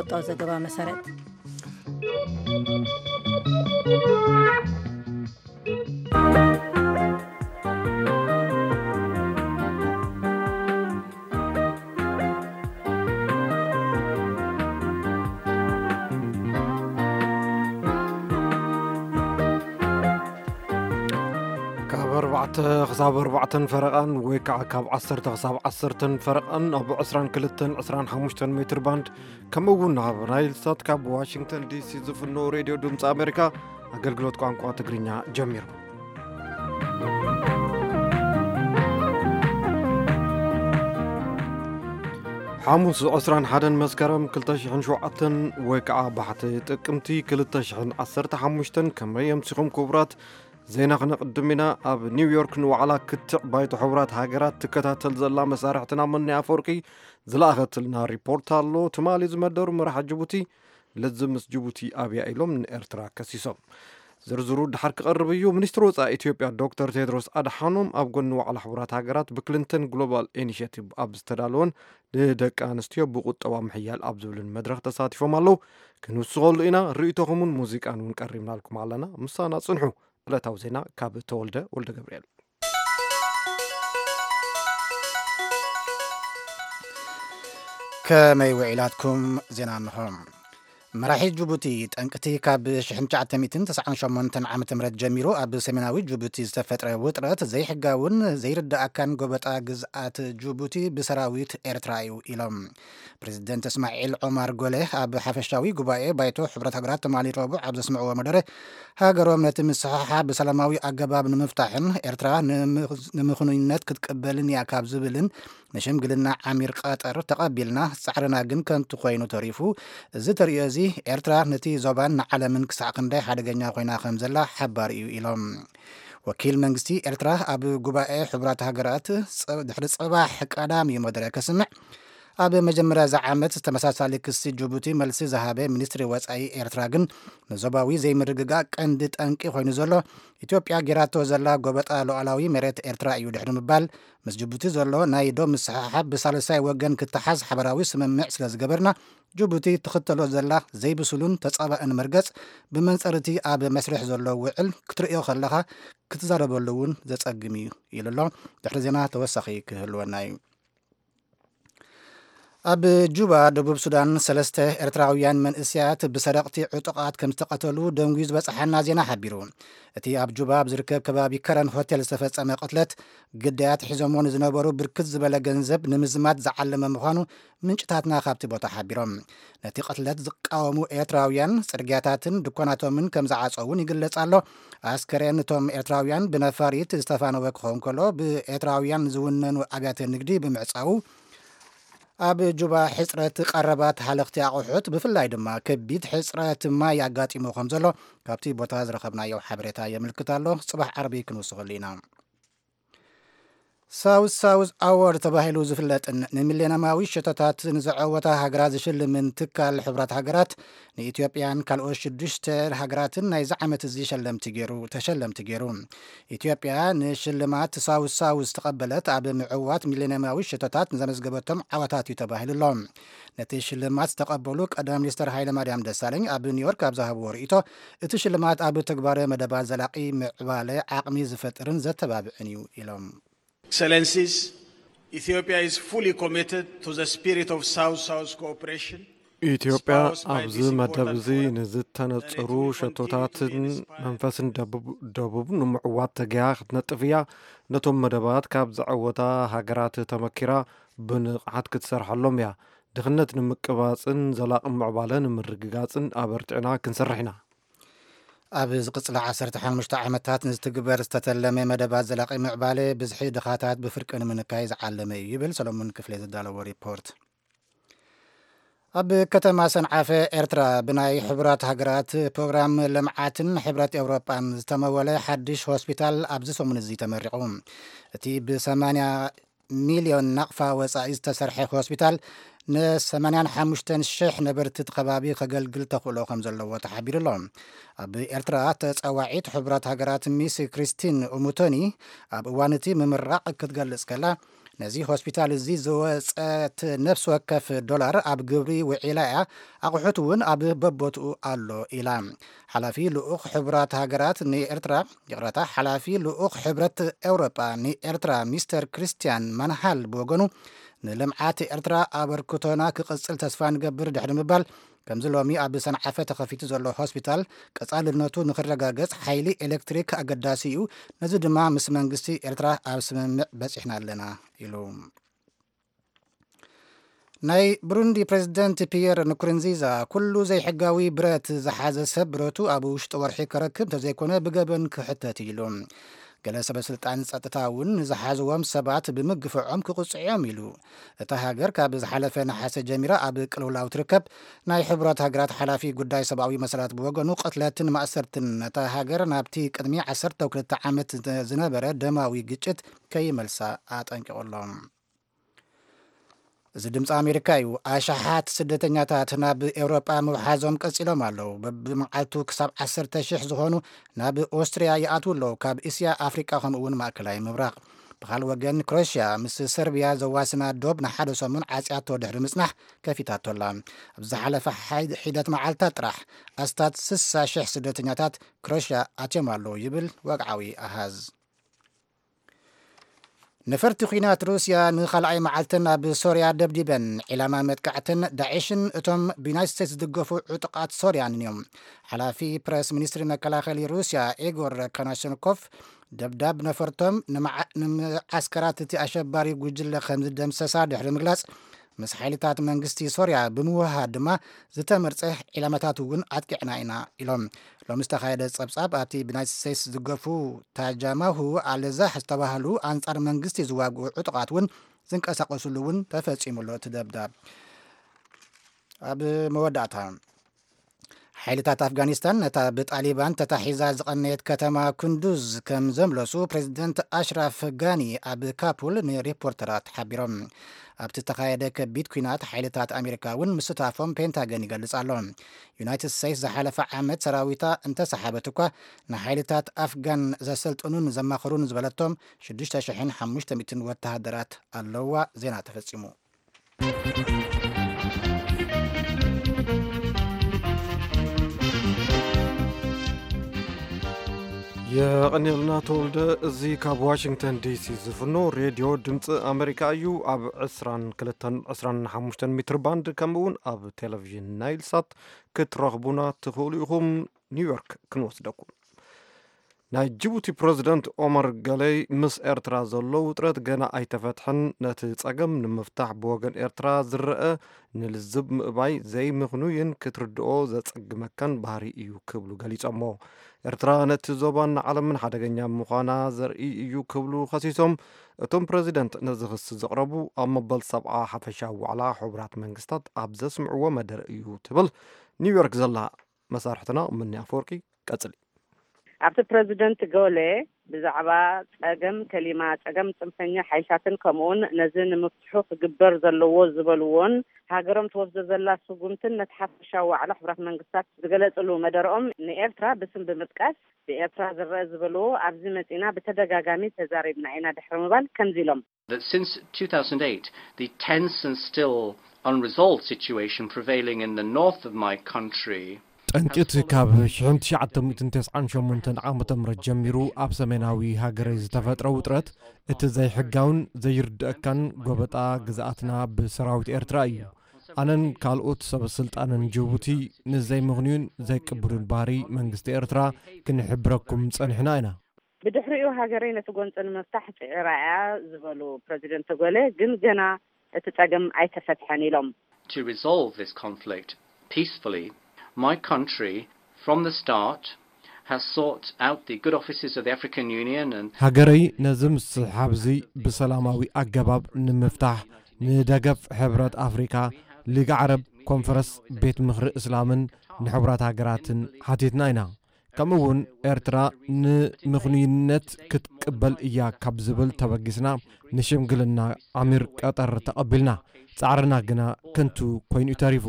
ወጣው ዘገባ መሰረት። ካብ ኣርባዕተ ክሳብ ኣርባዕተን ፈረቓን ወይ ከዓ ካብ ዓሰርተ ክሳብ ዓሰርተን ፈረቓን ኣብ ዕስራን ክልተን ዕስራን ሓሙሽተን ሜትር ባንድ፣ ከምኡ እውን ኣብ ናይል ሳት ካብ ዋሽንግተን ዲ ሲ ዝፍኖ ሬድዮ ድምፂ ኣሜሪካ ኣገልግሎት ቋንቋ ትግርኛ ጀሚሩ። ሓሙስ ዕስራን ሓደን መስከረም ክልተ ሽሕን ሸውዓተን ወይ ከዓ ባሕቲ ጥቅምቲ ክልተ ሽሕን ዓሰርተ ሓሙሽተን። ከመይ ኣምሲኹም ክቡራት? ዜና ክነቕድም ኢና። ኣብ ኒውዮርክ ንዋዕላ ክትዕ ባይቶ ሕቡራት ሃገራት ትከታተል ዘላ መሳርሕትና መኒ ኣፈወርቂ ዝለኣኸትልና ሪፖርት ኣሎ። ትማሊ ዝመደሩ መራሒ ጅቡቲ፣ ለዚ ምስ ጅቡቲ ኣብያ ኢሎም ንኤርትራ ከሲሶም። ዝርዝሩ ድሓር ክቐርብ እዩ። ሚኒስትሪ ወጻኢ ኢትዮጵያ ዶክተር ቴድሮስ ኣድሓኖም ኣብ ጎኒ ዋዕላ ሕቡራት ሃገራት ብክሊንተን ግሎባል ኢኒሽቲቭ ኣብ ዝተዳለወን ንደቂ ኣንስትዮ ብቁጠባ ምሕያል ኣብ ዝብልን መድረኽ ተሳቲፎም ኣለዉ። ክንውስኸሉ ኢና። ርእይቶኹምን ሙዚቃን እውን ቀሪብናልኩም ኣለና። ምሳና ጽንሑ። ዕለታዊ ዜና ካብ ተወልደ ወልደ ገብርኤል። ከመይ ውዒላትኩም? ዜና እንሆ። መራሒ ጅቡቲ፣ ጠንቅቲ ካብ ሽሕን ትሽዓተ ሚእትን ተስዓን ሸሞንተን ዓመተ ምህረት ጀሚሩ ኣብ ሰሜናዊ ጅቡቲ ዝተፈጥረ ውጥረት ዘይሕጋውን ዘይርዳእካን ጎበጣ ግዝኣት ጅቡቲ ብሰራዊት ኤርትራ እዩ ኢሎም። ፕሬዚደንት እስማዒል ዖማር ጎሌ ኣብ ሓፈሻዊ ጉባኤ ባይቶ ሕብረት ሃገራት ትማሊ ረቡዕ ኣብ ዘስምዕዎ መደረ፣ ሃገሮም ነቲ ምስሕሓብ ብሰላማዊ ኣገባብ ንምፍታሕን ኤርትራ ንምኽ-፣ ንምኽኑይነት ክትቅበልን እያ ካብ ዝብልን ንሽምግልና ዓሚር ቀጠር ተቐቢልና፣ ጻዕርና ግን ከንቱ ኮይኑ ተሪፉ። እዚ ተርእዮ እዚ ኤርትራ ነቲ ዞባን ንዓለምን ክሳዕ ክንደይ ሓደገኛ ኮይና ከም ዘላ ሓባር እዩ ኢሎም። ወኪል መንግስቲ ኤርትራ ኣብ ጉባኤ ሕቡራት ሃገራት ጸ-፣ ድሕሪ ጽባሕ ቀዳም እዩ መደረ ከስምዕ። ኣብ መጀመርያ እዚ ዓመት ተመሳሳሊ ክሲ ጅቡቲ መልሲ ዝሃበ ሚኒስትሪ ወጻኢ ኤርትራ ግን ንዞባዊ ዘይምርግጋእ ቀንዲ ጠንቂ ኮይኑ ዘሎ ኢትዮጵያ ጌራቶ ዘላ ጎበጣ ሉዓላዊ መሬት ኤርትራ እዩ ድሕሪ ምባል፣ ምስ ጅቡቲ ዘሎ ናይ ዶብ ምስሕሓብ ብሳልሳይ ወገን ክተሓዝ ሓበራዊ ስምምዕ ስለ ዝገበርና፣ ጅቡቲ ትኽተሎ ዘላ ዘይብሱሉን ተጻባእን መርገጽ ብመንጽር እቲ ኣብ መስርሕ ዘሎ ውዕል ክትርእዮ ከለኻ ክትዛረበሉ እውን ዘጸግም እዩ ኢሉ ኣሎ። ድሕሪ ዜና ተወሳኺ ክህልወና እዩ። ኣብ ጁባ፣ ደቡብ ሱዳን፣ ሰለስተ ኤርትራውያን መንእሰያት ብሰረቕቲ ዕጡቓት ከም ዝተቐተሉ ደንጉዩ ዝበጽሓና ዜና ሓቢሩ። እቲ ኣብ ጁባ ኣብ ዝርከብ ከባቢ ከረን ሆቴል ዝተፈጸመ ቅትለት፣ ግዳያት ሒዞሞ ንዝነበሩ ብርክት ዝበለ ገንዘብ ንምዝማት ዝዓለመ ምዃኑ ምንጭታትና ካብቲ ቦታ ሓቢሮም። ነቲ ቅትለት ዝቃወሙ ኤርትራውያን ጽርግያታትን ድኳናቶምን ከም ዝዓጸው እውን ይግለጽ ኣሎ። ኣስከሬን እቶም ኤርትራውያን ብነፋሪት ዝተፋነወ ክኸውን ከሎ፣ ብኤርትራውያን ዝውነኑ ኣብያተ ንግዲ ብምዕጻዉ፣ ኣብ ጁባ ሕጽረት ቀረባት ሃለኽቲ ኣቑሑት፣ ብፍላይ ድማ ከቢድ ሕጽረት ማይ ኣጋጢሙ ከም ዘሎ ካብቲ ቦታ ዝረኸብናዮ ሓበሬታ የመልክት ኣሎ። ጽባሕ ዓርቢ ክንውስኸሉ ኢና። ሳውዝ ሳውዝ ኣዋርድ ተባሂሉ ዝፍለጥን ንሚሌኒየማዊ ሸቶታት ንዘዐወታ ሃገራት ዝሽልምን ትካል ሕቡራት ሃገራት፣ ንኢትዮጵያን ካልኦት ሽዱሽተ ሃገራትን ናይዚ ዓመት እዚ ሸለምቲ ገይሩ፣ ተሸለምቲ ገይሩ። ኢትዮጵያ ንሽልማት ሳውዝ ሳውዝ ዝተቐበለት ኣብ ምዕዋት ሚሌኒየማዊ ሸቶታት ንዘመዝገበቶም ዓወታት እዩ ተባሂሉ ኣሎ። ነቲ ሽልማት ዝተቐበሉ ቀዳማይ ሚኒስትር ሃይለማርያም ደሳለኝ ኣብ ኒውዮርክ ኣብ ዝሃብዎ ርእይቶ፣ እቲ ሽልማት ኣብ ተግባረ መደባት ዘላቒ ምዕባለ ዓቕሚ ዝፈጥርን ዘተባብዕን እዩ ኢሎም። Excellencies, Ethiopia is fully committed to the spirit of South-South cooperation. ኢትዮጵያ ኣብዚ መደብ እዚ ንዝተነጽሩ ሸቶታትን መንፈስን ደቡብ፣ ደቡብ ንምዕዋት ተገያ ክትነጥፍ እያ። ነቶም መደባት ካብ ዘዐወታ ሃገራት ተመኪራ ብንቕሓት ክትሰርሐሎም እያ። ድኽነት ንምቅባጽን ዘላቒ ምዕባለ ንምርግጋጽን ኣበርቲዕና ክንሰርሕ ኢና። ኣብ ዝቕጽላ ዓሰርተ ሓሙሽተ ዓመታት ንዝትግበር ዝተተለመ መደባት ዘላቒ ምዕባለ ብዝሒ ድኻታት ብፍርቂ ንምንካይ ዝዓለመ እዩ ይብል ሰሎሞን ክፍሌ ዘዳለዎ ሪፖርት። ኣብ ከተማ ሰንዓፈ ኤርትራ ብናይ ሕቡራት ሃገራት ፕሮግራም ልምዓትን ሕብረት ኤውሮጳን ዝተመወለ ሓድሽ ሆስፒታል ኣብዚ ሰሙን እዚ ተመሪቑ። እቲ ብሰማንያ ሚልዮን ናቕፋ ወጻኢ ዝተሰርሐ ሆስፒታል ንሰማንያን ሓሙሽተን ሽሕ ነበርቲ እቲ ከባቢ ከገልግል ተኽእሎ ከም ዘለዎ ተሓቢሩ ኣሎ። ኣብ ኤርትራ ተጸዋዒት ሕቡራት ሃገራት ሚስ ክሪስቲን ኡሙቶኒ ኣብ እዋን እቲ ምምራቕ ክትገልጽ ከላ፣ ነዚ ሆስፒታል እዚ ዝወጸት ነፍሲ ወከፍ ዶላር ኣብ ግብሪ ውዒላ እያ፣ ኣቑሑት እውን ኣብ በቦትኡ ኣሎ ኢላ። ሓላፊ ልኡኽ ሕቡራት ሃገራት ንኤርትራ፣ ይቕረታ፣ ሓላፊ ልኡኽ ሕብረት ኤውሮጳ ንኤርትራ ሚስተር ክሪስትያን ማንሃል ብወገኑ፣ ንልምዓት ኤርትራ ኣበርክቶና ክቕጽል ተስፋ ንገብር ድሕሪ ምባል፣ ከምዚ ሎሚ ኣብ ሰንዓፈ ተኸፊቱ ዘሎ ሆስፒታል ቀጻልነቱ ንክረጋገጽ ሓይሊ ኤሌክትሪክ ኣገዳሲ እዩ፣ ነዚ ድማ ምስ መንግስቲ ኤርትራ ኣብ ስምምዕ በጺሕና ኣለና ኢሉ። ናይ ብሩንዲ ፕሬዝደንት ፒየር ንኩርንዚዛ፣ ኩሉ ዘይሕጋዊ ብረት ዝሓዘ ሰብ ብረቱ ኣብ ውሽጢ ወርሒ ከረክብ እንተዘይኮነ ብገበን ክሕተት ኢሉ። ገለ ሰበ ስልጣን ጸጥታ እውን ንዝሓዝዎም ሰባት ብምግፍዖም ክቕጽዑ እዮም ኢሉ። እታ ሃገር ካብ ዝሓለፈ ነሓሰ ጀሚራ ኣብ ቅልውላው ትርከብ። ናይ ሕቡራት ሃገራት ሓላፊ ጉዳይ ሰብኣዊ መሰላት ብወገኑ፣ ቅትለትን ማእሰርትን ነታ ሃገር ናብቲ ቅድሚ ዓሰርተ ክልተ ዓመት ዝነበረ ደማዊ ግጭት ከይመልሳ ኣጠንቂቑ ኣሎ። እዚ ድምፂ ኣሜሪካ እዩ። ኣሽሓት ስደተኛታት ናብ ኤውሮጳ ምውሓዞም ቀጺሎም ኣለዉ። በብመዓልቱ ክሳብ ዓሰርተ ሽሕ ዝኾኑ ናብ ኦስትርያ ይኣትዉ ኣለዉ፣ ካብ እስያ፣ ኣፍሪቃ፣ ከምኡ እውን ማእከላይ ምብራቕ። ብኻልእ ወገን፣ ክሮሽያ ምስ ሰርብያ ዘዋስና ዶብ ንሓደ ሰሙን ዓጽያቶ ድሕሪ ምጽናሕ ከፊታቶ ኣላ። ኣብ ዝሓለፈ ሓይ- ሒደት መዓልታት ጥራሕ ኣስታት ስሳ ሽሕ ስደተኛታት ክሮሽያ ኣትዮም ኣለዉ ይብል ወግዓዊ ኣሃዝ። ነፈርቲ ኲናት ሩስያ ንኻልኣይ መዓልተን ኣብ ሶርያ ደብዲበን። ዒላማ መጥቃዕተን ዳዒሽን እቶም ብዩናይትድ ስቴትስ ዝድገፉ ዕጡቓት ሶርያን እዮም። ሓላፊ ፕረስ ሚኒስትሪ መከላኸሊ ሩስያ ኢጎር ካናሸንኮቭ፣ ደብዳብ ነፈርቶም ንመዓ- ንመዓስከራት እቲ ኣሸባሪ ጉጅለ ከም ዝደምሰሳ ድሕሪ ምግላጽ፣ ምስ ሓይልታት መንግስቲ ሶርያ ብምውህሃድ ድማ ዝተመርጸ ዒላማታት እውን ኣጥቂዕና ኢና ኢሎም። ሎሚ ዝተኻየደ ጸብጻብ፣ ኣብቲ ብዩናይትድ ስቴትስ ዝገፉ ታጃማሁ ኣልዛህ ዝተባህሉ ኣንጻር መንግስቲ ዝዋግኡ ዕጡቓት እውን ዝንቀሳቐሱሉ እውን ተፈጺሙ ኣሎ እቲ ደብዳብ። ኣብ መወዳእታ፣ ሓይልታት ኣፍጋኒስታን ነታ ብጣሊባን ተታሒዛ ዝቐነየት ከተማ ኩንዱዝ ከም ዘምለሱ ፕሬዚደንት ኣሽራፍ ጋኒ ኣብ ካፑል ንሪፖርተራት ሓቢሮም። ኣብቲ ዝተኻየደ ከቢድ ኲናት ሓይልታት ኣሜሪካ እውን ምስታፎም ፔንታገን ይገልጽ ኣሎ። ዩናይትድ ስቴትስ ዝሓለፈ ዓመት ሰራዊታ እንተሰሓበት እኳ፣ ንሓይልታት ኣፍጋን ዘሰልጥኑን ዘማኽሩን ዝበለቶም ሽዱሽተ ሽሕን ሓሙሽተ ሚእትን ወተሃደራት ኣለዋ። ዜና ተፈጺሙ። የቐንየልና ተወልደ። እዚ ካብ ዋሽንግተን ዲሲ ዝፍኖ ሬድዮ ድምፂ ኣሜሪካ እዩ። ኣብ ዕስራን ክልተን ዕስራን ሓሙሽተን ሜትር ባንድ፣ ከምኡ እውን ኣብ ቴሌቪዥን ናይል ሳት ክትረኽቡና ትኽእሉ ኢኹም። ኒውዮርክ ክንወስደኩም። ናይ ጅቡቲ ፕረዚደንት ኦመር ገለይ፣ ምስ ኤርትራ ዘሎ ውጥረት ገና ኣይተፈትሐን፣ ነቲ ጸገም ንምፍታሕ ብወገን ኤርትራ ዝረአ ንልዝብ ምእባይ ዘይምኽኑይን ክትርድኦ ዘጸግመካን ባህሪ እዩ ክብሉ ገሊጾሞ። ኤርትራ ነቲ ዞባን ንዓለምን ሓደገኛ ምዃና ዘርኢ እዩ ክብሉ ከሲሶም። እቶም ፕረዚደንት ነዚ ክሲ ዘቕረቡ ኣብ መበል ሰብዓ ሓፈሻዊ ዋዕላ ሕቡራት መንግስታት ኣብ ዘስምዕዎ መደረ እዩ ትብል ኒውዮርክ ዘላ መሳርሕትና ምኒ ኣፈወርቂ። ቀጽሊ። ኣብቲ ፕረዚደንት ጎሌ ብዛዕባ ጸገም ከሊማ፣ ጸገም ጽንፈኛ ሓይልታትን ከምኡውን ነዚ ንምፍትሑ ክግበር ዘለዎ ዝበልዎን ሃገሮም ትወስዶ ዘላ ስጉምትን ነቲ ሓፈሻዊ ዋዕላ ሕቡራት መንግስታት ዝገለጽሉ መደረኦም ንኤርትራ ብስም ብምጥቃስ፣ ብኤርትራ ዝረአ ዝበልዎ ኣብዚ መጺና ብተደጋጋሚ ተዛሪብና ኢና ድሕሪ ምባል ከምዚ ኢሎም። That since two thousand eight, the tense and still unresolved situation prevailing in the north of my country ጠንቂ እቲ ካብ ሽሕን ትሽዓተ ሚእትን ተስዓን ሸሞንተን ዓመተ ምህረት ጀሚሩ ኣብ ሰሜናዊ ሃገረይ ዝተፈጥረ ውጥረት፣ እቲ ዘይሕጋውን ዘይርድአካን ጎበጣ ግዝኣትና ብሰራዊት ኤርትራ እዩ። ኣነን ካልኦት ሰበ ስልጣንን ጅቡቲ ንዘይምኽንዩን ዘይቅብሉን ባህሪ መንግስቲ ኤርትራ ክንሕብረኩም ጸኒሕና ኢና። ብድሕሪኡ ሃገረይ ነቲ ጎንጺ ንምፍታሕ ጽዒራ እያ ዝበሉ ፕረዚደንት ጎሌ፣ ግን ገና እቲ ጸገም ኣይተፈትሐን ኢሎም። To resolve this conflict peacefully, my country, from the start, has sought out the good offices of the African Union and ሃገረይ ነዚ ምስሕሓብ እዚ ብሰላማዊ ኣገባብ ንምፍታሕ ንደገፍ ሕብረት ኣፍሪካ፣ ሊግ ዓረብ፣ ኮንፈረስ ቤት ምኽሪ እስላምን ንሕቡራት ሃገራትን ሓቲትና ኢና። ከምኡ እውን ኤርትራ ንምኽኑይነት ክትቅበል እያ ካብ ዝብል ተበጊስና ንሽምግልና ዓሚር ቀጠር ተቐቢልና። ጻዕርና ግና ከንቱ ኮይኑ እዩ ተሪፉ።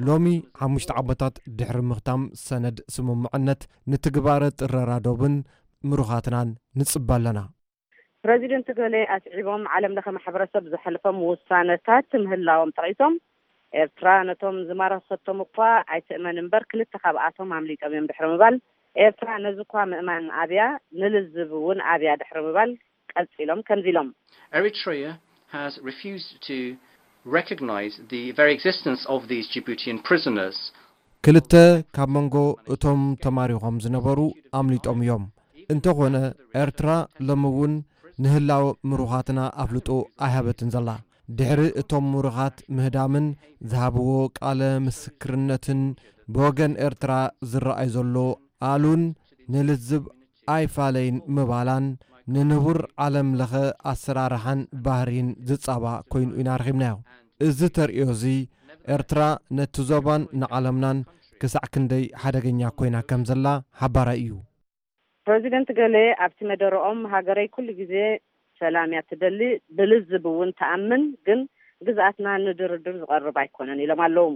ሎሚ ሓሙሽተ ዓመታት ድሕሪ ምኽታም ሰነድ ስምምዕነት ንትግባረ ጥረራ ዶብን ምሩኻትናን ንጽበ ኣለና። ፕረዚደንት ገሌ ኣስዒቦም፣ ዓለም ለኸ ማሕበረሰብ ዘሕልፎም ውሳነታት ምህላዎም ጠቒሶም፣ ኤርትራ ነቶም ዝማረኸቶም እኳ ኣይትእመን እምበር፣ ክልተ ካብኣቶም ኣምሊጦም እዮም ድሕሪ ምባል፣ ኤርትራ ነዚ እኳ ምእማን ኣብያ፣ ንልዝብ እውን ኣብያ ድሕሪ ምባል ቀጺሎም ከምዚ ኢሎም። Eritrea has refused to recognize the very existence of these Djiboutian prisoners. ክልተ ካብ መንጎ እቶም ተማሪኾም ዝነበሩ ኣምሊጦም እዮም። እንተኾነ ኤርትራ ሎሚ እውን ንህላወ ምሩኻትና ኣፍልጦ ኣይሃበትን ዘላ። ድሕሪ እቶም ምሩኻት ምህዳምን ዝሃብዎ ቃለ ምስክርነትን ብወገን ኤርትራ ዝረኣይ ዘሎ ኣሉን ንልዝብ ኣይፋለይን ምባላን ንንቡር ዓለም ለኸ ኣሰራርሓን ባህሪን ዝጻባእ ኮይኑ ኢና ረኺብናዮ። እዚ ተርእዮ እዚ ኤርትራ ነቲ ዞባን ንዓለምናን ክሳዕ ክንደይ ሓደገኛ ኮይና ከም ዘላ ሓባራይ እዩ። ፕረዚደንት ገሌ ኣብቲ መደረኦም፣ ሃገረይ ኩሉ ግዜ ሰላም እያ ትደሊ፣ ብልዝብ እውን ትኣምን፣ ግን ግዝኣትና ንድርድር ዝቐርብ ኣይኮነን ኢሎም ኣለዉ።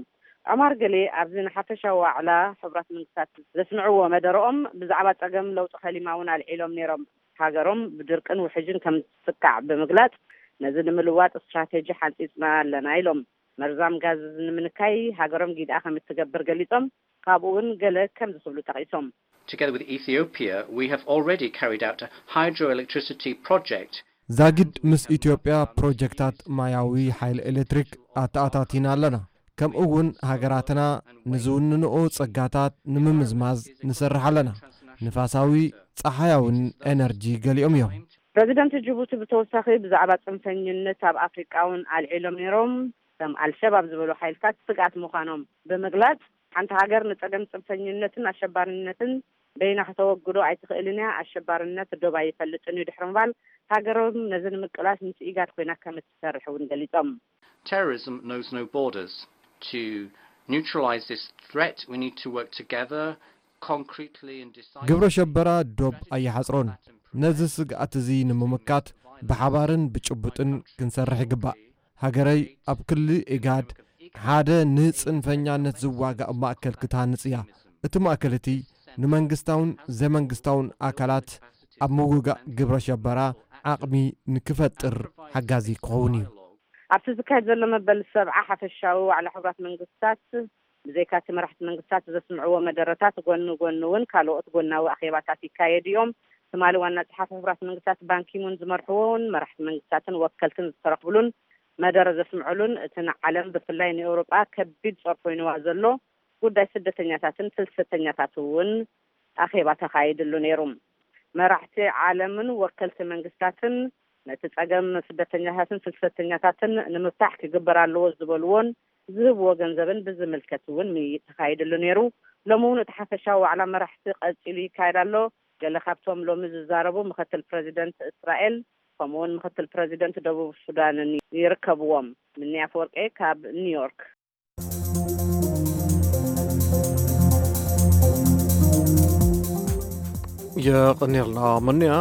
ዑማር ገሌ ኣብዚ ንሓፈሻዊ ዋዕላ ሕቡራት መንግስታት ዘስምዕዎ መደረኦም፣ ብዛዕባ ጸገም ለውጢ ከሊማ እውን ኣልዒሎም ነይሮም። ሃገሮም ብድርቅን ውሕጅን ከም ትስካዕ ብምግላጽ፣ ነዚ ንምልዋጥ ስትራቴጂ ሓንጺጽና ኣለና ኢሎም። መርዛም ጋዝ እዚ ንምንካይ ሃገሮም ጊድኣ ከም እትገብር ገሊጾም። ካብኡ እውን ገለ ከምዚ ክብሉ ጠቒሶም። Together with Ethiopia, we have already carried out a hydroelectricity project. ዛጊድ ምስ ኢትዮጵያ ፕሮጀክታት ማያዊ ሓይሊ ኤሌክትሪክ ኣተኣታቲና ኣለና። ከምኡ እውን ሃገራትና ንዝውንንኦ ጸጋታት ንምምዝማዝ ንሰርሕ ኣለና። ንፋሳዊ፣ ጸሓያውን ኤነርጂ ገሊኦም እዮም። ፕረዚደንት ጅቡቲ ብተወሳኺ ብዛዕባ ጽንፈኝነት ኣብ ኣፍሪቃ እውን ኣልዒሎም ነይሮም። ከም ኣልሸባብ ዝበሉ ሓይልታት ስግኣት ምዃኖም ብምግላጽ፣ ሓንቲ ሃገር ንጸገም ጽንፈኝነትን ኣሸባርነትን በይና ከተወግዶ ኣይትኽእልን እያ፣ ኣሸባርነት ዶብ ኣይፈልጥን እዩ ድሕሪ ምባል፣ ሃገሮም ነዚ ንምቅላስ ምስ ኢጋድ ኮይና ከም እትሰርሕ እውን ገሊጾም። Terrorism knows no borders. To neutralize this threat, we need to work together, concretely and decisively. ግብረ ሸበራ ዶብ ኣይሓጽሮን። ነዚ ስግኣት እዚ ንምምካት ብሓባርን ብጭቡጥን ክንሰርሕ ይግባእ። ሃገረይ ኣብ ክሊ ኢጋድ ሓደ ንጽንፈኛነት ዝዋጋእ ማእከል ክትሃንጽ እያ። እቲ ማእከል እቲ ንመንግስታውን ዘይመንግስታውን ኣካላት ኣብ ምውጋእ ግብረ ሸበራ ዓቕሚ ንክፈጥር ሓጋዚ ክኸውን እዩ። ኣብቲ ዝካየድ ዘሎ መበል ሰብዓ ሓፈሻዊ ዋዕላ ሕቡራት መንግስታት፣ ብዘይካ እቲ መራሕቲ መንግስታት ዘስምዕዎ መደረታት፣ ጎኒ ጎኒ እውን ካልኦት ጎናዊ ኣኼባታት ይካየዱ እዮም። ትማሊ ዋና ጸሓፊ ሕቡራት መንግስታት ባንኪሙን ዝመርሕዎ እውን መራሕቲ መንግስታትን ወከልትን ዝተረኽብሉን መደረ ዘስምዕሉን፣ እቲ ንዓለም ብፍላይ ንኤውሮጳ ከቢድ ጾር ኮይንዋ ዘሎ ጉዳይ ስደተኛታትን ፍልሰተኛታት እውን ኣኼባ ተኻይድሉ ነይሩ። መራሕቲ ዓለምን ወከልቲ መንግስታትን ነቲ ጸገም ስደተኛታትን ፍልሰተኛታትን ንምፍታሕ ክግበር ኣለዎ ዝበልዎን ዝህብዎ ገንዘብን ብዝምልከት እውን ምይይጥ ተኻይድሉ ነይሩ። ሎሚ እውን እቲ ሓፈሻዊ ዋዕላ መራሕቲ ቀጺሉ ይካየድ ኣሎ። ገለ ካብቶም ሎሚ ዝዛረቡ ምክትል ፕረዚደንት እስራኤል ከምኡውን ምክትል ፕረዚደንት ደቡብ ሱዳንን ይርከብዎም። ምኒ ኣፈወርቄ ካብ ኒውዮርክ። የቐኒልና መኒያ።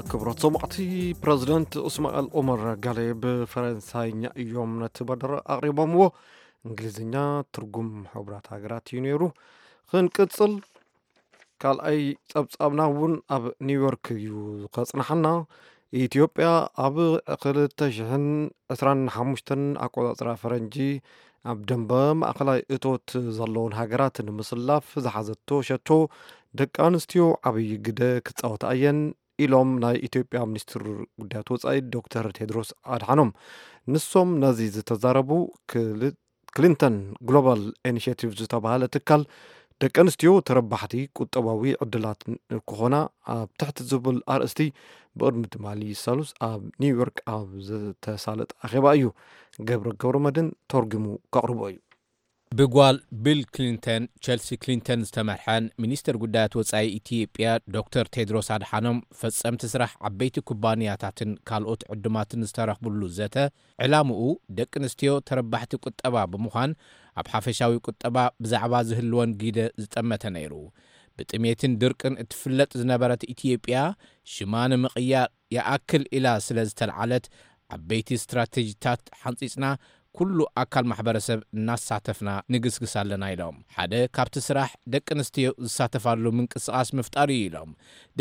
ክብረት ሰማዕቲ፣ ፕረዚደንት እስማኤል ኦመር ጋሌ ብፈረንሳይኛ እዮም ነቲ መደረ ኣቕሪቦምዎ። እንግሊዝኛ ትርጉም ሕቡራት ሃገራት እዩ ነይሩ። ክንቅጽል፣ ካልኣይ ጸብጻብና እውን ኣብ ኒውዮርክ እዩ ከጽንሓና። ኢትዮጵያ ኣብ ክልተ ሽሕን ዕስራን ሓሙሽተን ኣቆጻጽራ ፈረንጂ ኣብ ደንበ ማእኸላይ እቶት ዘለውን ሃገራት ንምስላፍ ዝሓዘቶ ሸቶ፣ ደቂ ኣንስትዮ ዓብዪ ግደ ክጻወታ እየን ኢሎም ናይ ኢትዮጵያ ሚኒስትር ጉዳያት ወጻኢ ዶክተር ቴድሮስ ኣድሓኖም። ንሶም ነዚ ዝተዛረቡ፣ ክል- ክሊንተን ግሎባል ኢኒሽቲቭ ዝተባህለ ትካል፣ ደቂ ኣንስትዮ ተረባሕቲ ቁጠባዊ ዕድላት ክኾና ኣብ ትሕቲ ዝብል ኣርእስቲ፣ ብቕድሚ ትማሊ ሰሉስ ኣብ ኒውዮርክ ኣብ ዝተሳለጠ ኣኼባ እዩ። ገብረ ገብረ መድን ተርጉሙ ከቕርቦ እዩ። ብጓል ቢል ክሊንተን፣ ቸልሲ ክሊንተን ዝተመርሐን ሚኒስትር ጉዳያት ወጻኢ ኢትዮጵያ ዶክተር ቴድሮስ ኣድሓኖም፣ ፈጸምቲ ስራሕ ዓበይቲ ኩባንያታትን ካልኦት ዕዱማትን ዝተረኽብሉ ዘተ፣ ዕላምኡ ደቂ ኣንስትዮ ተረባሕቲ ቁጠባ ብምዃን፣ ኣብ ሓፈሻዊ ቁጠባ ብዛዕባ ዝህልወን ግደ ዝጠመተ ነይሩ። ብጥሜትን ድርቅን እትፍለጥ ዝነበረት ኢትዮጵያ፣ ሽማ ንምቕያር ይኣክል ኢላ ስለ ዝተልዓለት፣ ዓበይቲ ስትራተጂታት ሓንጺጽና፣ ኩሉ ኣካል ማሕበረሰብ እናሳተፍና ንግስግስ ኣለና ኢሎም። ሓደ ካብቲ ስራሕ ደቂ ኣንስትዮ ዝሳተፋሉ ምንቅስቃስ ምፍጣር እዩ ኢሎም።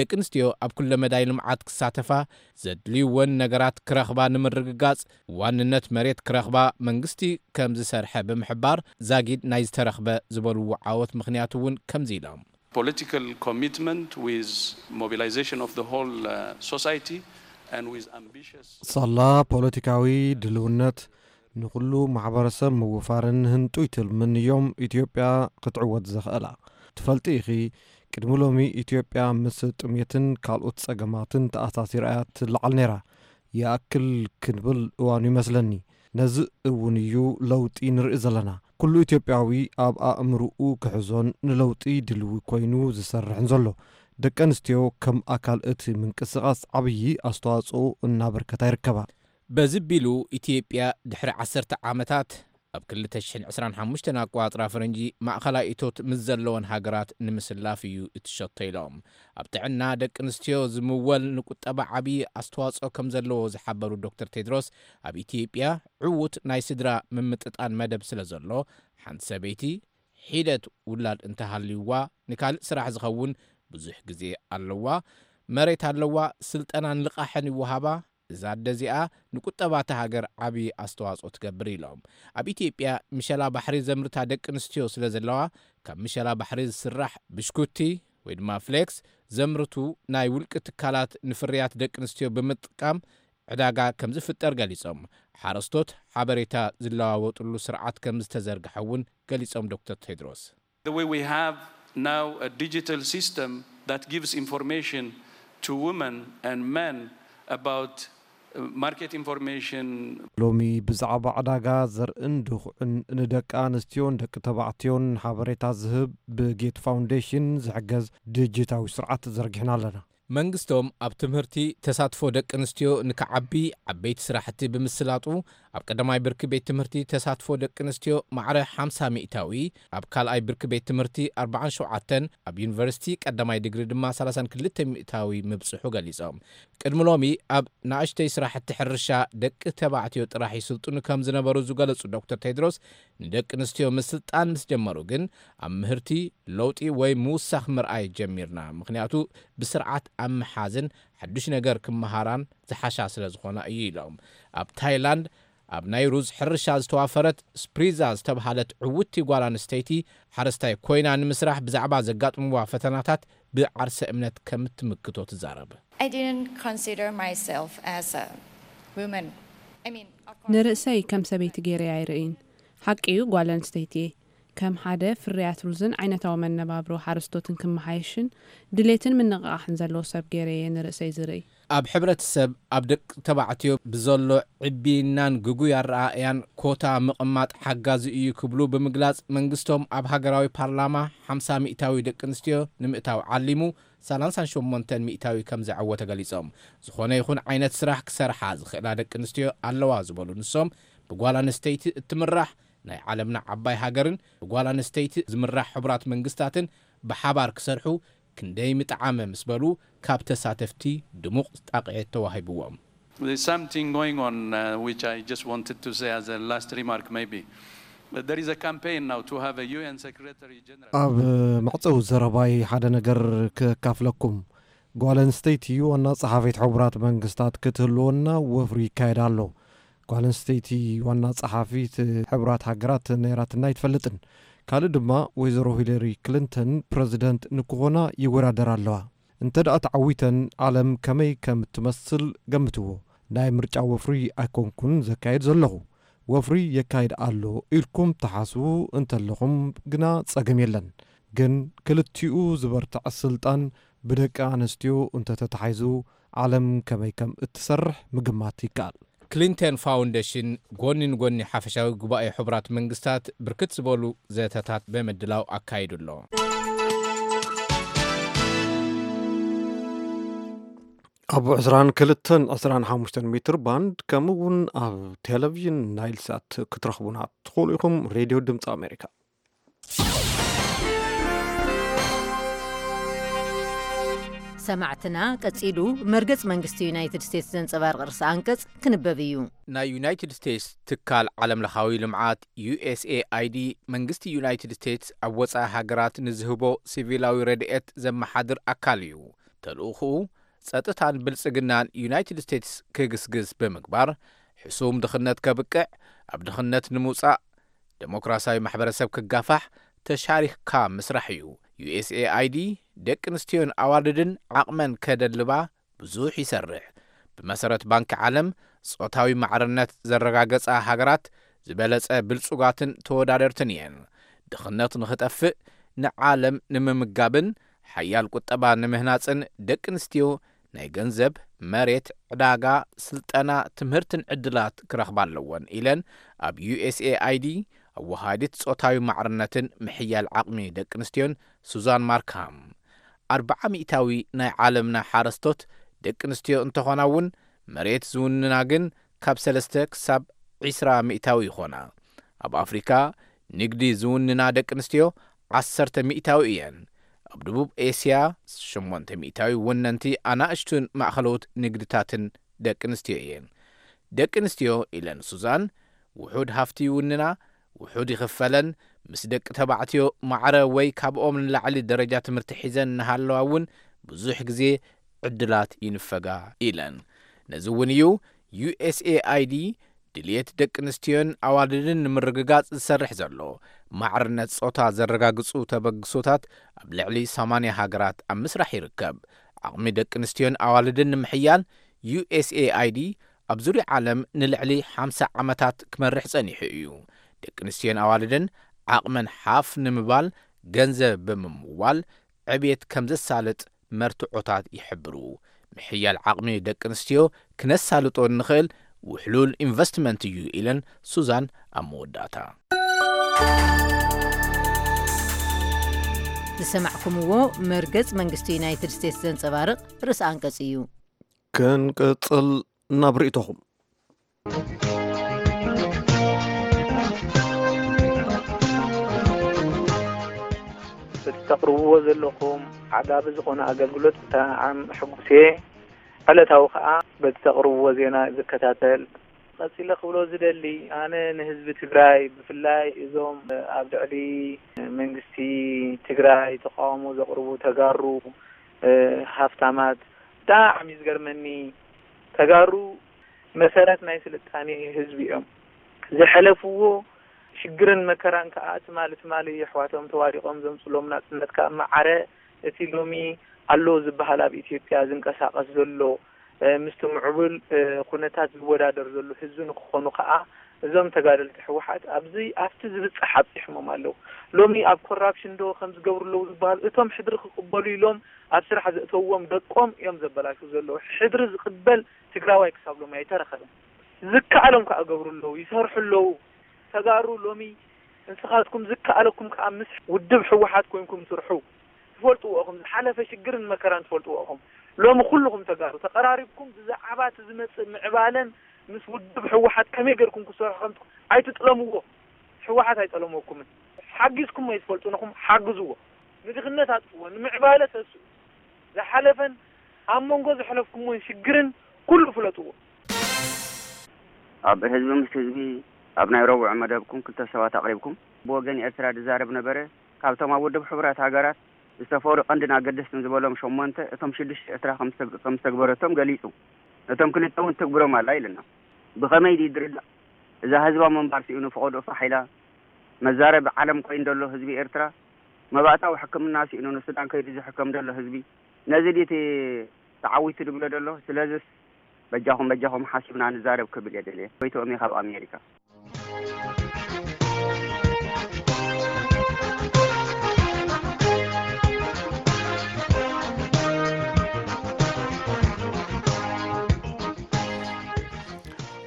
ደቂ ኣንስትዮ ኣብ ኩለ መዳይ ልምዓት ክሳተፋ፣ ዘድልይወን ነገራት ክረኽባ ንምርግጋጽ፣ ዋንነት መሬት ክረኽባ መንግስቲ ከም ዝሰርሐ ብምሕባር፣ ዛጊድ ናይ ዝተረኽበ ዝበልዎ ዓወት ምኽንያት እውን ከምዚ ኢሎም። Political commitment with mobilization of the whole uh, society and with ambitious ሳላ ፖለቲካዊ ድልውነት ንኹሉ ማሕበረሰብ ምውፋርን ህንጡይ ትልምን እዮም ኢትዮጵያ ክትዕወት ዘኽእላ። ትፈልጢ ኢኺ፣ ቅድሚ ሎሚ ኢትዮጵያ ምስ ጥሜትን ካልኦት ጸገማትን ተኣሳሲራ እያ ትለዓል ነይራ። ይኣክል ክንብል እዋኑ ይመስለኒ። ነዚ እውን እዩ ለውጢ ንርኢ ዘለና። ኩሉ ኢትዮጵያዊ ኣብ ኣእምርኡ ክሕዞን ንለውጢ ድልዊ ኮይኑ ዝሰርሕን ዘሎ። ደቂ ኣንስትዮ ከም ኣካል እቲ ምንቅስቃስ ዓብዪ ኣስተዋጽኦ እናበርከታ ይርከባ። በዚ ቢሉ ኢትዮጵያ ድሕሪ ዓሰርተ ዓመታት ኣብ ክልተ ሽሕን ዕስራን ሓሙሽተን ኣቋጽራ ፈረንጂ ማእኸላይ እቶት ምስ ዘለወን ሃገራት ንምስላፍ እዩ እትሸቶ ኢሎም። ኣብ ጥዕና ደቂ ኣንስትዮ ዝምወል ንቁጠባ ዓብዪ ኣስተዋጽኦ ከም ዘለዎ ዝሓበሩ ዶክተር ቴድሮስ፣ ኣብ ኢትዮጵያ ዕዉት ናይ ስድራ ምምጥጣን መደብ ስለ ዘሎ፣ ሓንቲ ሰበይቲ ሒደት ውላድ እንተሃልዩዋ ንካልእ ስራሕ ዝኸውን ብዙሕ ግዜ ኣለዋ፣ መሬት ኣለዋ፣ ስልጠናን ልቓሕን ይወሃባ። እዛ ኣደ እዚኣ ንቁጠባ እታ ሃገር ዓብዪ ኣስተዋጽኦ ትገብር ኢሎም። ኣብ ኢትዮጵያ ምሸላ ባሕሪ ዘምርታ ደቂ ኣንስትዮ ስለ ዘለዋ፣ ካብ ምሸላ ባሕሪ ዝስራሕ ብሽኩቲ ወይ ድማ ፍሌክስ ዘምርቱ ናይ ውልቂ ትካላት ንፍርያት ደቂ ኣንስትዮ ብምጥቃም ዕዳጋ ከም ዝፍጠር ገሊጾም። ሓረስቶት ሓበሬታ ዝለዋወጥሉ ስርዓት ከም ዝተዘርግሐ እውን ገሊጾም ዶክተር ቴድሮስ። The way we have now a digital system that gives information to women and men about uh, market information. ሎሚ ብዛዕባ ዕዳጋ ዘርእን ድኹዕን ንደቂ ኣንስትዮን ደቂ ተባዕትዮን ሓበሬታ ዝህብ ብጌት ፋውንዴሽን ዝሕገዝ ዲጂታዊ ስርዓት ዘርጊሕና ኣለና። መንግስቶም ኣብ ትምህርቲ ተሳትፎ ደቂ ኣንስትዮ ንክዓቢ ዓበይቲ ስራሕቲ ብምስላጡ፣ ኣብ ቀዳማይ ብርኪ ቤት ትምህርቲ ተሳትፎ ደቂ ኣንስትዮ ማዕረ ሓምሳ ሚእታዊ፣ ኣብ ካልኣይ ብርኪ ቤት ትምህርቲ ኣርባዓን ሸውዓተን፣ ኣብ ዩኒቨርሲቲ ቀዳማይ ዲግሪ ድማ ሰላሳን ክልተ ሚእታዊ ምብጽሑ ገሊጾም። ቅድሚ ሎሚ ኣብ ንኣሽተይ ስራሕቲ ሕርሻ ደቂ ተባዕትዮ ጥራሕ ይስልጥኑ ከም ዝነበሩ ዝገለጹ ዶክተር ቴድሮስ፣ ንደቂ ኣንስትዮ ምስልጣን ምስ ጀመሩ ግን ኣብ ምህርቲ ለውጢ ወይ ምውሳኽ ምርኣይ ጀሚርና። ምኽንያቱ ብስርዓት ኣብ ምሓዝን ሓዱሽ ነገር ክመሃራን ዝሓሻ ስለ ዝኾና እዩ ኢሎም። ኣብ ታይላንድ ኣብ ናይ ሩዝ ሕርሻ ዝተዋፈረት ስፕሪዛ ዝተብሃለት ዕውቲ ጓል ኣንስተይቲ ሓረስታይ ኮይና ንምስራሕ ብዛዕባ ዘጋጥምዋ ፈተናታት ብዓርሰ እምነት ከም ትምክቶ ትዛረብ። I didn't consider myself as a woman. I mean, of course, ንርእሰይ ከም ሰበይቲ ገይረ ኣይርእይን። ሓቂ እዩ፣ ጓል ኣንስተይቲ እየ። ከም ሓደ ፍርያት ሩዝን ዓይነታዊ መነባብሮ ሓረስቶትን ክመሓየሽን ድሌትን ምንቕቓሕን ዘለዎ ሰብ ገይረ እየ ንርእሰይ ዝርእይ። ኣብ ሕብረተሰብ ኣብ ደቂ ተባዕትዮ ብዘሎ ዕብይናን ግጉይ ኣረኣእያን ኮታ ምቕማጥ ሓጋዚ እዩ ክብሉ ብምግላጽ፣ መንግስቶም ኣብ ሃገራዊ ፓርላማ ሓምሳ ሚእታዊ ደቂ ኣንስትዮ ንምእታው ዓሊሙ ሰላሳን ሸሞንተን ሚእታዊ ከም ዘዐወተ ገሊጾም። ዝኾነ ይኹን ዓይነት ስራሕ ክሰርሓ ዝኽእላ ደቂ ኣንስትዮ ኣለዋ ዝበሉ ንሶም፣ ብጓል ኣንስተይቲ እትምራሕ ናይ ዓለምና ዓባይ ሃገርን ብጓል ኣንስተይቲ ዝምራሕ ሕቡራት መንግስታትን ብሓባር ክሰርሑ ክንደይ ምጠዓመ ምስ በሉ፣ ካብ ተሳተፍቲ ድሙቕ ጣቕዒት ተዋሂብዎም። There's something going on uh, which I just wanted to say as a last remark, maybe. But there is a campaign now to have a U N Secretary General. ኣብ መዕፀዊ ዘረባይ ሓደ ነገር ከካፍለኩም። ጓል ኣንስተይቲ ዋና ጸሓፊት ሕቡራት መንግስታት ክትህልወና ወፍሪ ይካየድ ኣሎ። ጓል ኣንስተይቲ ዋና ጸሓፊት ሕቡራት ሃገራት ነይራትና ኣይትፈልጥን። ካልእ ድማ ወይዘሮ ሂለሪ ክሊንተን ፕረዚደንት ንክኾና ይወዳደራ ኣለዋ። እንተ ደኣ ተዓዊተን ዓለም ከመይ ከም እትመስል ገምትዎ። ናይ ምርጫ ወፍሪ ኣይኮንኩን ዘካየድ ዘለኹ። ወፍሪ የካይድ ኣሎ ኢልኩም ትሓስቡ እንተለኹም ግና ጸገም የለን። ግን ክልቲኡ ዝበርትዕ ስልጣን ብደቂ ኣንስትዮ እንተተታሒዙ ዓለም ከመይ ከም እትሰርሕ ምግማት ይከኣል። ክሊንተን ፋውንዴሽን ጎኒ ንጎኒ ሓፈሻዊ ጉባኤ ሕቡራት መንግስታት ብርክት ዝበሉ ዘተታት ብምድላው ኣካይዱ ኣሎ። ኣብ ዕስራን ክልተን ዕስራን ሓሙሽተን ሜትር ባንድ ከምኡ እውን ኣብ ቴሌቪዥን ናይል ሳት ክትረኽቡና ትኽእሉ ኢኹም። ሬድዮ ድምፂ ኣሜሪካ። ሰማዕትና፣ ቀጺሉ መርገጽ መንግስቲ ዩናይትድ ስቴትስ ዘንጸባርቕ ርእሰ ኣንቀጽ ክንበብ እዩ። ናይ ዩናይትድ ስቴትስ ትካል ዓለምለኻዊ ልምዓት፣ ዩ ኤስ ኤ ኣይ ዲ፣ መንግስቲ ዩናይትድ ስቴትስ ኣብ ወጻኢ ሃገራት ንዝህቦ ሲቪላዊ ረድኤት ዘመሓድር ኣካል እዩ። ተልእኹኡ፣ ጸጥታን ብልጽግናን ዩናይትድ ስቴትስ ክግስግስ ብምግባር፣ ሕሱም ድኽነት ከብቅዕ፣ ኣብ ድኽነት ንምውጻእ፣ ደሞክራሲያዊ ማሕበረሰብ ክጋፋሕ ተሻሪኽካ ምስራሕ እዩ። ዩ ኤስ ኤ ኣይ ዲ ደቂ ኣንስትዮን ኣዋልድን ዓቕመን ከደልባ ብዙሕ ይሰርሕ። ብመሰረት ባንኪ ዓለም፣ ጾታዊ ማዕርነት ዘረጋገጻ ሃገራት ዝበለጸ ብልጹጋትን ተወዳደርትን እየን። ድኽነት ንኽጠፍእ፣ ንዓለም ንምምጋብን ሓያል ቁጠባ ንምህናጽን ደቂ ኣንስትዮ ናይ ገንዘብ፣ መሬት፣ ዕዳጋ፣ ስልጠና፣ ትምህርትን ዕድላት ክረኽባ ኣለወን ኢለን ኣብ ዩ ኤስ ኤ ኣይ ዲ ኣወሃዲት ጾታዊ ማዕርነትን ምሕያል ዓቕሚ ደቂ ኣንስትዮን ሱዛን ማርካም። ኣርብዓ ሚእታዊ ናይ ዓለምና ሓረስቶት ደቂ ኣንስትዮ እንተኾና እውን፣ መሬት ዝውንና ግን ካብ ሰለስተ ክሳብ ዒስራ ሚእታዊ ይኾና። ኣብ ኣፍሪካ ንግዲ ዝውንና ደቂ ኣንስትዮ ዓሰርተ ሚእታዊ እየን። ኣብ ደቡብ ኤስያ ሸሞንተ ሚእታዊ ወነንቲ ኣናእሽቱን ማእኸለዎት ንግድታትን ደቂ ኣንስትዮ እየን። ደቂ ኣንስትዮ ኢለን ሱዛን፣ ውሑድ ሃፍቲ ይውንና፣ ውሑድ ይኽፈለን፣ ምስ ደቂ ተባዕትዮ ማዕረ ወይ ካብኦም ንላዕሊ ደረጃ ትምህርቲ ሒዘን እናሃለዋ እውን ብዙሕ ግዜ ዕድላት ይንፈጋ ኢለን። ነዚ እውን እዩ ዩ ኤስ ኤ ኣይ ዲ ድልየት ደቂ ኣንስትዮን ኣዋልድን ንምርግጋጽ ዝሰርሕ ዘሎ። ማዕርነት ጾታ ዘረጋግጹ ተበግሶታት ኣብ ልዕሊ ሰማንያ ሃገራት ኣብ ምስራሕ ይርከብ። ዓቕሚ ደቂ ኣንስትዮን ኣዋልድን ንምሕያል ዩ ኤስ ኤ ኣይ ዲ ኣብ ዙርያ ዓለም ንልዕሊ ሓምሳ ዓመታት ክመርሕ ጸኒሑ እዩ። ደቂ ኣንስትዮን ኣዋልድን ዓቕመን ሓፍ ንምባል ገንዘብ ብምምዋል ዕብየት ከም ዘሳልጥ መርትዖታት ይሕብሩ። ምሕያል ዓቕሚ ደቂ ኣንስትዮ ክነሳልጦ እንኽእል ውሕሉል ኢንቨስትመንት እዩ ኢለን ሱዛን ኣብ መወዳእታ። ዝሰማዕኩምዎ መርገጽ መንግስቲ ዩናይትድ ስቴትስ ዘንጸባርቕ ርእሰ ኣንቀጽ እዩ። ክንቅጽል ናብ ርእይቶኹም። በቲ ተቕርብዎ ዘለኹም ዓጋቢ ዝኾነ ኣገልግሎት ብጣዕሚ ሕጉስ እየ። ዕለታዊ ከኣ በቲ ተቕርብዎ ዜና ዝከታተል። ቀጺለ ክብሎ ዝደሊ፣ ኣነ ንህዝቢ ትግራይ፣ ብፍላይ እዞም ኣብ ልዕሊ መንግስቲ ትግራይ ተቃውሞ ዘቕርቡ ተጋሩ ሃፍታማት፣ ብጣዕሚ እዩ ዝገርመኒ። ተጋሩ መሰረት ናይ ስልጣኔ ህዝቢ እዮም። ዝሐለፍዎ ሽግርን መከራን ከኣ ትማሊ ትማሊ የሕዋቶም ተዋዲቖም ዘምጽሎም ናጽነት ከኣ ማዕረ እቲ ሎሚ ኣሎ ዝበሃል ኣብ ኢትዮጵያ ዝንቀሳቐስ ዘሎ ምስቲ ምዕቡል ኩነታት ዝወዳደር ዘሎ ህዝቢ ንክኾኑ ከኣ እዞም ተጋደልቲ ህወሓት ኣብዚ ኣብቲ ዝብጻሕ ኣብጺሖሞም ኣለዉ። ሎሚ ኣብ ኮራፕሽን ዶ ከም ዝገብሩ ኣለዉ ዝበሃሉ እቶም ሕድሪ ክቕበሉ ኢሎም ኣብ ስራሕ ዘእተውዎም ደቆም እዮም ዘበላሽዉ ዘለዉ። ሕድሪ ዝቕበል ትግራዋይ ክሳብ ሎሚ ኣይተረኸበን። ዝከኣሎም ከኣ ገብሩ ኣለዉ፣ ይሰርሑ ኣለዉ። ተጋሩ ሎሚ ንስኻትኩም ዝከኣለኩም ከኣ ምስ ውድብ ህወሓት ኮይንኩም ስርሑ። ትፈልጥዎ ኢኹም፣ ዝሓለፈ ሽግርን መከራን ትፈልጥዎ ኢኹም። ሎሚ ኩልኹም ተጋሩ ተቐራሪብኩም ብዛዕባ እቲ ዝመጽእ ምዕባለን ምስ ውድብ ህወሓት ከመይ ጌርኩም ክሰርሑ ከም ትኽ- ኣይትጥለምዎ። ህወሓት ኣይጠለመኩምን። ሓጊዝኩም ኣይትፈልጡን ኢኹም፣ ሓግዝዎ። ንድኽነት ኣጥፍዎ፣ ንምዕባለ ተስኡ። ዝሓለፈን ኣብ መንጎ ዘሕለፍኩምዎን ሽግርን ኩሉ ፍለጥዎ። ኣብ ህዝቢ ምስ ህዝቢ ኣብ ናይ ረቡዕ መደብኩም ክልተ ሰባት ኣቕሪብኩም። ብወገን ኤርትራ ዝዛረብ ነበረ። ካብቶም ኣብ ውድብ ሕቡራት ሃገራት ዝተፈሩ ቀንድን ኣገደስትን ዝበሎም ሸሞንተ፣ እቶም ሽዱሽተ ኤርትራ ከም ዝተግ- ከም ዝተግበረቶም ገሊጹ። ነቶም ክልተ እውን ትግብሮም ኣላ ኢልና። ብኸመይ ድዩ ዝርዳእ? እዛ ህዝባዊ ምንባር ስኢኑ ፈቐድኡ ፋሕ ኢላ መዛረቢ ዓለም ኮይኑ ዘሎ ህዝቢ ኤርትራ፣ መባእታዊ ሕክምና ስኢኑ ንሱዳን ከይዱ ዝሕከም ዘሎ ህዝቢ፣ ነዚ ድዩ እቲ ተዓዊቱ ዝብሎ ዘሎ? ስለዚስ በጃኹም በጃኹም ሓሲብና ንዛረብ ክብል እየ ደልየ። ጎይትኦም እየ ካብ ኣሜሪካ።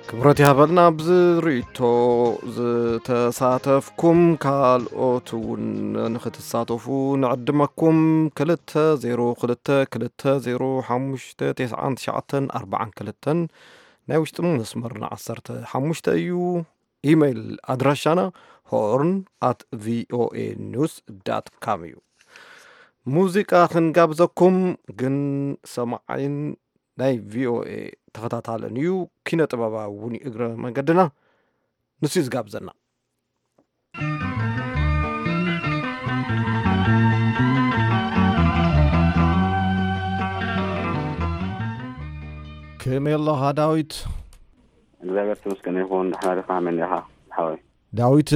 ክብረት ይሃበልና። ኣብዚ ርእይቶ ዝተሳተፍኩም ካልኦት እውን ንኽትሳተፉ ንዕድመኩም። ክልተ ዜሮ ክልተ ክልተ ዜሮ ሓሙሽተ ተስዓን ትሽዓተን ኣርባዓን ክልተን ናይ ውሽጢ መስመርና ዓሰርተ ሓሙሽተ እዩ። ኢሜይል ኣድራሻና ሆርን ኣት ቪኦኤ ኒውስ ዳት ካም እዩ። ሙዚቃ ክንጋብዘኩም፣ ግን ሰማዓይን ናይ ቪኦኤ ተኸታታልን እዩ፣ ኪነ ጥበባዊ እውን እዩ እግረ መንገድና፣ ንሱ እዩ ዝጋብዘና። ከመይ ኣለኻ ዳዊት? እግዚኣብሔር ተመስገን ይኹን። ደሕና ዲኻ? ከመይ ዲኻ ሓወይ? ዳዊት፣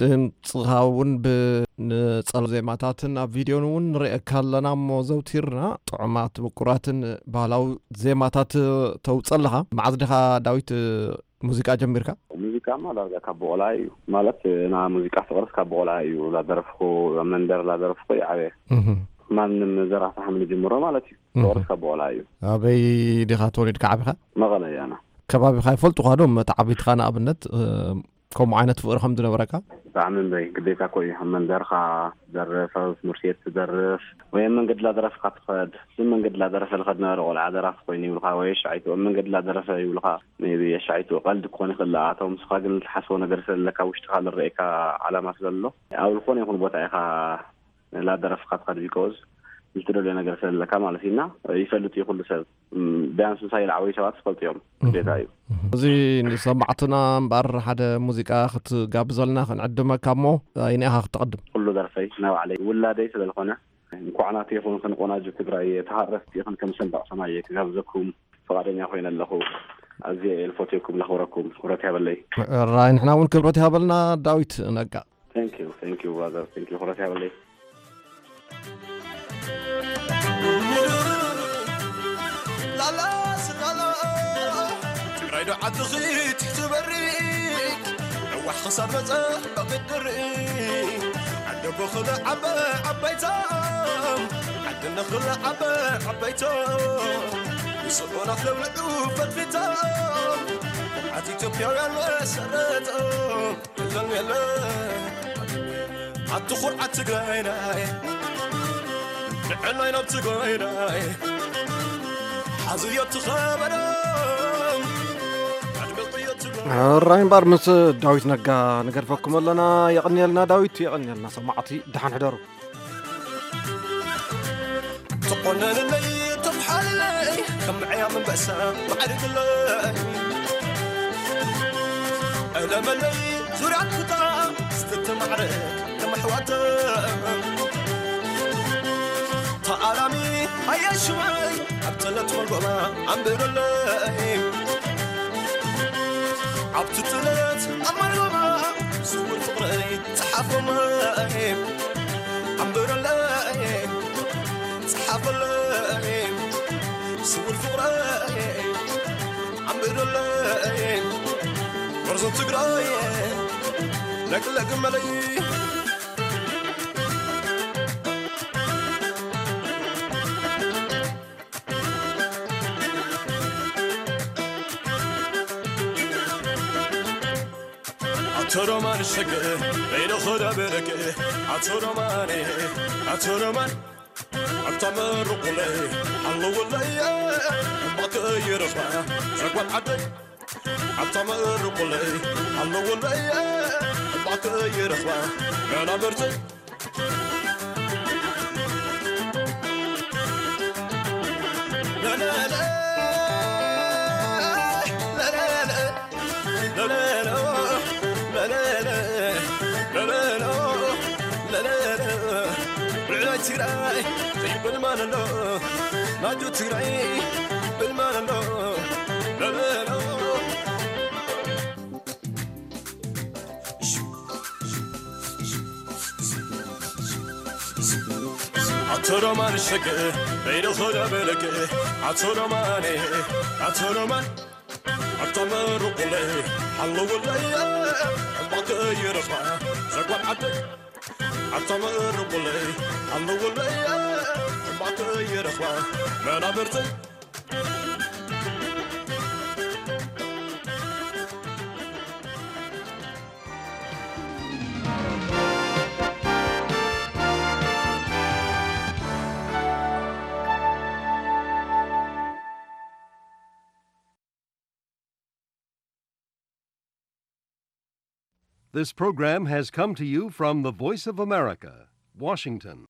ድምፅኻ እውን ብንፀሎ ዜማታትን ኣብ ቪድዮን እውን ንርእየካ ኣለና እሞ፣ ዘውቲርና ጥዑማት ምቁራትን ባህላዊ ዜማታት ተውፅእ ኣለኻ። መዓዝ ዲኻ ዳዊት ሙዚቃ ጀሚርካ? ሙዚቃማ ዳርጋ ካብ ብቆልዓ እዩ። ማለት፣ ና ሙዚቃ ፍቅርስ ካብ ብቆልዓ እዩ። ላደረፍኩ፣ ኣብ መንደር ላደረፍኩ ይዓበየ። እህ። ማንም ዘራፊ ሓምሊ ጅምሮ ማለት እዩ። እህ። ፍቅርስ ካብ ብቆልዓ እዩ። ኣበይ ዲኻ ተወሊድካ ዓቢኻ? መቐለ እያ ና። ከባቢኻ ይፈልጡኻ ዶ መተዓቢትኻ ንኣብነት፣ እ፣ ከምኡ ዓይነት ፍቅሪ ከም ዝነበረካ? ብጣዕሚ እምበይ፣ ግዴታ እኮ እዩ። ኣብ መንደርኻ ትደርፍ፣ ኣብ ትምህርቲ ቤት ትደርፍ፣ ወይ ኣብ መንገዲ ላደረፍካ ትኸድ። እዚ መንገዲ ላደረፈ ልኸድ ነበረ ቆልዓ ደራፊ ኮይኑ ይብልኻ፣ ወይ ኣሻዒቱ ኣብ መንገዲ ላደረፈ ይብልኻ። ሜቢ ኣሻዒቱ ቀልዲ ክኾን ይኽእል፣ ኣቶም ንስኻ ግን ልትሓስቦ ነገር ስለለካ፣ ውሽጥኻ ልረኤካ ዓላማ ስለሎ፣ ኣብ ዝኾነ ይኹን ቦታ ኢኻ ላደረፍካ ትኸድ፣ ቢኮዝ ልትደልዮ ነገር ስለለካ ማለት እዩ። እና ይፈልጥ እዩ ኩሉ ሰብ። ም፣ ቢያንስ ምሳይ ልዓበዩ ሰባት ዝፈልጡ እዮም። ግዴታ እዩ። እዚ ንሰማዕትና እምበኣር ሓደ ሙዚቃ ክትጋብዘልና ክንዕድመካ እሞ፣ ኣይንኢኻ ክትቕድም? ኩሉ ደርፈይ ናይ ባዕለይ ውላደይ ስለዝኾነ፣ እንኳዕ ናተይ ይኹን፣ ክንቆናጁ ትግራይ፣ ተሃረፍቲ ኢኽን ከም ሰንዳቕ ሰማይ ክጋብዘኩም ፍቓደኛ ኮይነ ኣለኹ። ኣዝየ እየ ልፈትየኩም፣ ለኽብረኩም። ክብረት ያበለይ። ራይ፣ ንሕና እውን ክብረት ይሃበልና ዳዊት ነጋ። Thank you, thank you, brother. Thank you. ክብረት ያበለይ። ትግራይ ዶ ዓድኺ ትሕቲ በሪ፣ ነዋሕ ክሳብ መጸ ብድሪ፣ ዓዲ ብኽሊ ዓበ ዓበይቶም፣ ዓዲ ንኽሊ ዓበ ዓበይቶም፣ ንስዑናት ለውልዑ ፈትፊቶም፣ ኩርዓት ኢትዮጵያውያን መሰረቶም። የለን የለን፣ ኣቲ ኩርዓት ትግራይናይ፣ ንዕናይ ናብ ትግራይናይ፣ ሓዝዮ ትኸበዶም፣ ኣድምቕዮ ትግራይ። ራይ እምበኣር ምስ ዳዊት ነጋ ንገድፈኩም ኣለና። የቐንየልና ዳዊት፣ የቐንየልና ሰማዕቲ፣ ደሓን ሕደሩ። ትቆነንለይ፣ ትፍሓልለይ፣ ከም ምዕያም ኣንበሳ ማዕርግለይ። እለመለይ፣ ዙርያ ኩታ፣ ስትትማዕረ፣ ከም ኣሕዋተ። ተኣላሚ፣ ኣየሽወይ፣ ኣብ ተለት መልጎማ ኣንብረለይ። ኣብቲ ጥለት ኣብ መርበባ ስውር ፍቕረይ ጸሓፎመይ፣ ኣንብረለይ፣ ጸሓፈለይ፣ ስውር ፍቕረይ ኣንብረለይ፣ መርዞ ትግራይ ለግለግ መለይ። ኣቶ ሮማን ሸገ በይደ ኸዳ በረገ ኣቶ ሮማን ኣቶ ሮማን ኣታ መርቁለይ ኣለውለይ እምባክ ይረኽባ ዘጓል ዓደይ ኣታ መርቁለይ ኣለውለይ እምባክ ይረኽባ መናበርተይ ልዕላይ ትግራይ ይብል ማን ኣሎ ናጁ ትግራይ ይብል ማን ኣሎ ለለሎ ኣቶ ሮማን ሸገ በይደ ኸዳ በለገ ኣቶ ሮማን ኣቶ ሮማን ኣታ መርቁለይ ኣለውለይ ሕማቅ ይረኽባ ዘጓል ዓደይ ኣታ መርቁለይ ኣለውለይ ሕማቅ ይረኽባ መናብርተይ This program has come to you from the Voice of America, Washington.